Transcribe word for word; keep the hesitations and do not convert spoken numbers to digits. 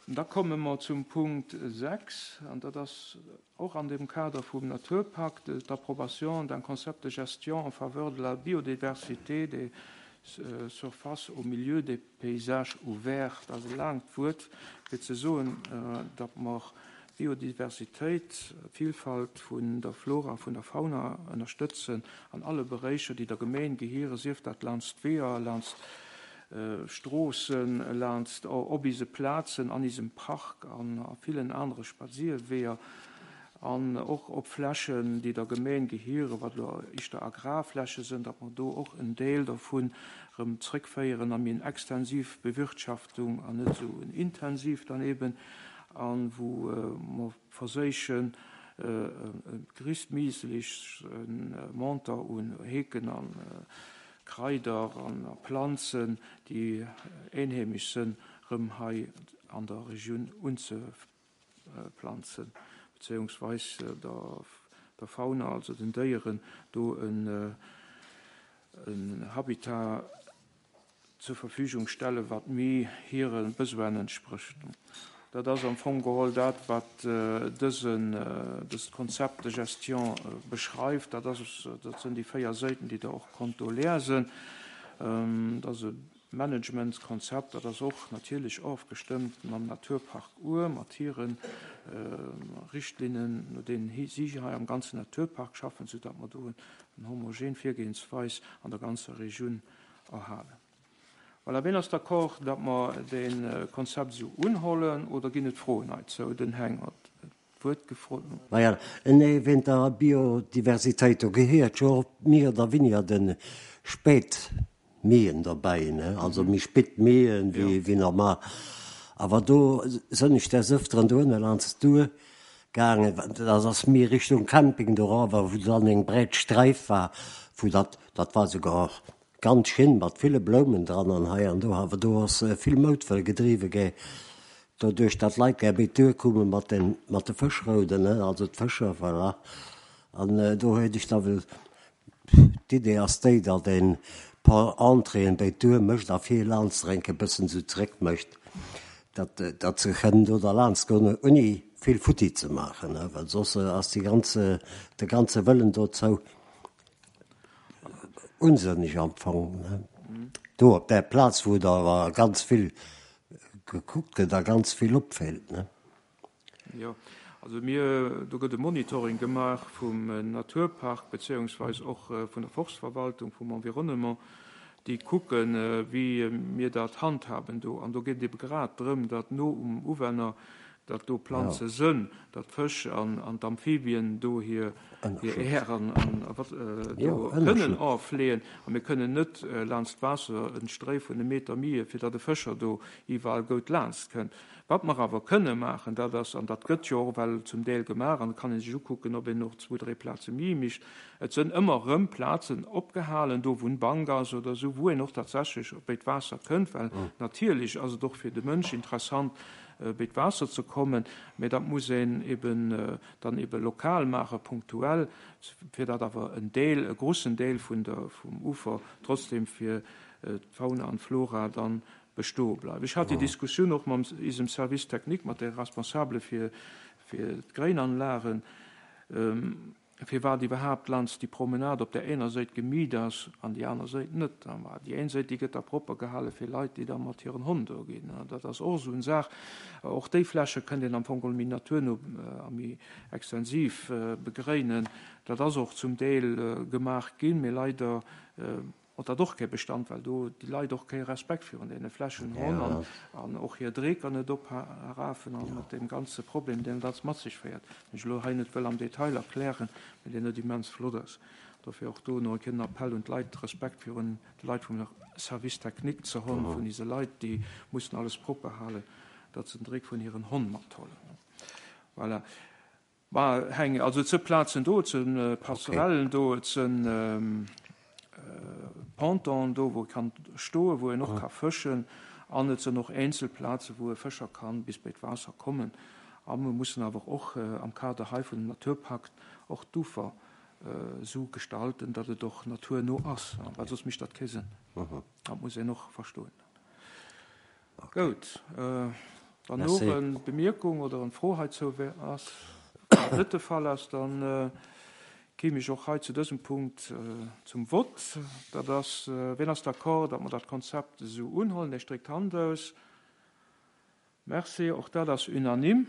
Da komme mer zum Punkt sechs, an dat ass och an dem Kader vum Naturpakt, d'Approbation d'un concept de gestion en faveur de la biodiversité des surfaces au milieu des paysages ouverts. Dat ass e laangt Wuert, fir ze soen, datt mer d'Biodiversitéit, d'Vilfalt vun der Flora, vun der Fauna ënnerstëtzen an alle Beréicher, déi der Gemeen gehieren, sief dat laanscht Weeër, laanscht Stroossen, laanscht op ise Plazen, an isem Park an a villen anere Spadséierweeër an och op Flächen, déi der Gemeen gehieren, wat elo éischter Agrarfläche sinn, datt mer do och en Deel dovun erëm zréckféieren a méi en extensiv Bewirtschaftung an net esou en intensiv dann eben, a wou mer verséichen e gristmiselich Monter un Heeken a Kraider a Planzen, déi eenheemesch sënn, rëm hei an der Regioun unzeplanzen, bezéiungsweis der Fauna, also den Déieren, do en Habitat zur Verfügung stellen, wat méi hire Besoinen entsprécht. Dat ass am Fong geholl dat, wat dësen, dëst Concept de gestion beschreift. Dat ass, dat sinn déi véier Säiten, déi Der och konnt do liesen. Dat ass e Managementskonzept, dat ass och natierlech ofgestëmmt mam Naturpark Our, mat hire Richtlinnen, no deenen si hei am ganzen Naturpark schaffen, soudatt mer do eng homogen Virgehensweis an der ganzer Regioun erhalen. Voilà, wien ass d'accord, datt mer dee Konzept esou unhollen, oder ginn et Froen heizou? Den Heng huet d'Wuert gefrot. Maja, nee, wéint der Biodiversitéit, do gehéiert jo och méi oder weniger de Spéitméien derbäi, ne, also méi spit méien wéi wéi normal. Awer do sënn ech des Ëfteren dohinner laanscht d'Our gaangen, dat ass méi Richtung Camping do era, wou dann eng breit Sträif war, wou dat, dat war souguer ganz schin mat ville Bloumen dran an hei an do, awer do ass vill Moutwëll gedriwwe gi, doduerch datt Leit gär méi duer kumme mat den mat de Fëschrouden, ne, also d'Fëscher, voilà. An do huet ech da well, d'Idee ass déi, datt een par Entréeën béid Duer mécht a vir laanscht renk e bëssen esou zréck mécht, datt datt se kënnen do derlaanscht goen ouni vill futti ze maachen, ne, well soss ass déi ganze de ganze Wëllen dozou. Unsënneg am Fong, ne? Do op där Plaz, wou et awer ganz vill gekuckt gëtt a ganz vill opfält, ne? Jo, also mir, do gëtt e Monitoring gemaach vum Naturpark beziéungsweis och vun der Forstverwaltung, vum Environnement, déi kucken, wéi mir dat handhaben do. An do geet et ebe grad drëm, datt no um Uwänner datt do Planze sënn, datt d'Fësch an d'Amphibien do hir Äer an wat do kënnen ofleeën. A mir kënnen net laanscht d'Waasser en Stréi vun e Meter mie fir datt e Fëscher do iwwerall goud laanscht kënnt. Wat mer awer kënne maachen, dat ass, an dat gëtt jo och well zum Deel gemaach, an et kann ee sech ukucken, ob een och zwou, dréi Plaze méi mécht, et sënn ëmmer erëm Plazen opgehalen, do wou en Bank ass oder esou, wou een och tatsächlech op béid Waasser kënnt, well natierlech ass et och fir de Mënsch interessant, béi d'Waasser ze kommen, mä dat muss een eben dann ebe lokal maachen, punktuell, fir datt awer en Deel, e grussen Deel vun der, vum Ufer trotzdem fir d'Fauna an d'Flora dann bestoe bleift. Ech hat déi Diskussioun och mam isem Service technique, mat de Responsabele fir, fir d'Gréinanlagen. Firwat iwwerhaapt laanscht déi Promenade op där eener Séit gemiet ass an déi aner Séit net. Ma déi eng Séit, déi gëtt da propper gehale fir Leit, déi da mat hiren Honn do ginn. Dat ass och esou eng Saach. Och déi Fläche kënnt een am Fong geholl méi naturno a méi extensiv begréinen. Dat ass och zum Deel gemaach ginn, mee leider Huet dat och kee Bestand, well do déi Leit och kee Respekt virun deene Flächen hunn an, an och hir Dreeker net oprafen an mat deem ganze Problem, deen dat mat sech féiert, deen ech elo hei net wëll am Detail erklären, mä deen net immens flott ass. Dofir och do nach e kléinen Appell un d'Leit, Respekt virun de Leit vum Service technique ze hunn, vun dise Leit, déi mussen alles propper halen, datt se den Dréck vun hiren Honn mathollen. Voilà. Ma Heng, also et se Plazen do, et se Passerellen do, et se Pontonen do, wou e kann stoen, wou een och ka fëschen an et sinn och eenzel Plazen, wou e Fëscher kann bis bei d'Waasser kommen. A mir mussen awer och am Kader hei vun dem Naturpakt och d'Ufer esou gestalten, datt et och naturno ass, well soss mécht dat kee Sënn. Dat muss een och verstoen. Goud. Wann och eng Bemierkung oder eng Fro heizou ass, wann dat net de Fall ass, dann kéim ech och hei zu dësem Punkt zum Vott. Dat ass, Wien ass d'accord, datt mer dat Konzept esou unhuelen? Dee stréckt d'Hand aus. Merci. Och dat ass unanime.